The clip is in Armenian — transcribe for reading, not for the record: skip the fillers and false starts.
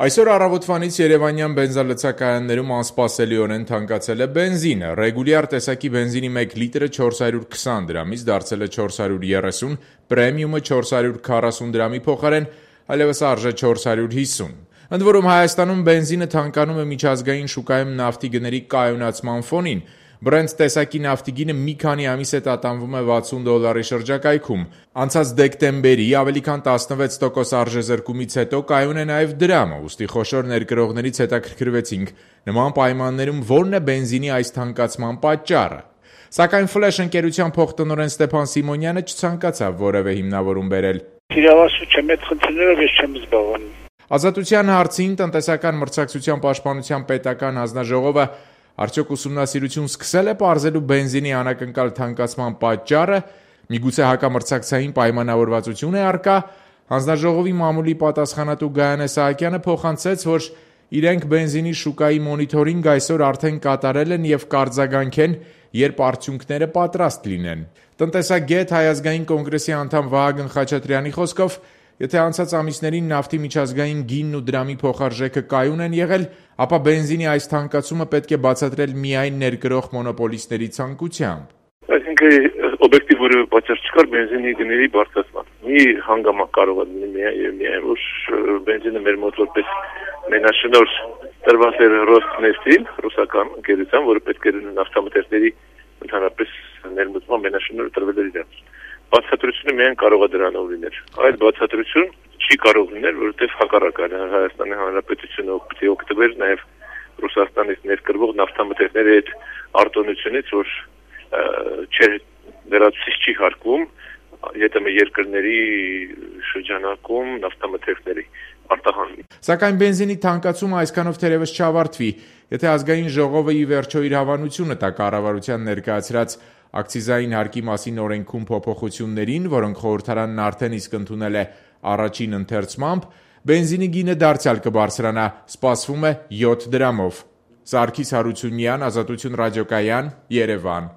Այսօր առավոտվանից երևանյան բենզալցակայաններում անսպասելիորեն թանկացել է բենզինը։ Ռեգուլյար տեսակի բենզինի 1 լիտրը 420 դրամից դարձել է 430, պրեմիումը 440 դրամի փոխարեն այլևս արժե 450։ Ընդ որում Հայաստանում բենզինը թանկանում է միջազգային շուկայում նավթի գների կայունացման ֆոնին։ Brent տեսակի նավթի գինը մի քանի ամիս է տատանվում է $60 շրջակայքում։ Անցած դեկտեմբերի ավելի քան 16% արժեզրկումից հետո կայուն է նաև դրամը, ուստի խոշոր ներկրողներից հետաքրքրվեցինք նման պայմաններում որն է բենզինի այս թանկացման պատճառը։ Սակայն Flash ընկերության փոխտնօրեն Ստեփան Սիմոնյանը չցանկացավ որևէ հիմնավորում բերել։ Իրավասու չեմ այդ խնդիրներով ես չեմ զբաղվում։ Ազատության հարցին տնտեսական մրցակցության պաշտպանության պետական հանձնաժողովը արդյոք ուսումնասիրություն սկսել է պարզելու բենզինի անակնկալ թանկացման պատճառը, միգուցե հակամրցակցային պայմանավորվածություն է առկա։ Հանձնաժողովի մամուլի պատասխանատու Գայանե Սահակյանը փոխանցեց, որ իրենք բենզինի շուկայի մոնիթորինգ այսօր արդեն կատարել են եւ կարձագանքեն, երբ արդյունքները պատրաստ լինեն։ Տնտեսագետ Հայ ազգային կոնգրեսի անդամ Վահագն Խաչատրյանի խոսքով, եթե անցած ամիսներին նավթի միջազգային գինն ու դրամի փոխարժեքը կայուն են եղել, ապա բենզինի այս թանկացումը պետք է բացատրել միայն ներկրող մոնոպոլիստների ցանկությամբ։ Այսինքն օբյեկտիվ որևէ պատճառ չկար բենզինի գների բարձրացման։ Մի հանգամանք կարող է լինել միայն որ բենզինը մեր մոտ որպես մենաշնորհ տրված էր Ռոսնեֆտին, ռուսական ընկերության, որը պետք է նավթամթերքների ընդհանրապես ներմուծման մենաշնորհը տրվել էր իրենց։ Բացատրությունը միայն կարող է դրանով լինել։ Այդ բացատրություն չի կարող լինել, որովհետև հակառակն է Հայաստանի Հանրապետությունը օգտվել նաև Ռուսաստանից ներկրվող նավթամթերքների այդ արտոնությունից, որ վերացուցիչ չի հարկվում ԵՏՄ երկրների շրջանակում նավթամթերքների արտահանումին։ Սակայն բենզինի թանկացումը այսքանով թերևս չավարտվի, եթե ազգային ժողովը ի վերջո իր հավանությունը տա կառավարության ներկայացրած ակցիզային հարկի մասին օրենքում փոփոխություններին, որոնք խորհրդարանն արդեն իսկ ընդունել է առաջին ընթերցմամբ, բենզինի գինը դարձյալ կբարձրանա, սպասվում է 7 դրամով։ Սարգիս Հարությունյան, Ազատություն ռադիոկայան, Երևան։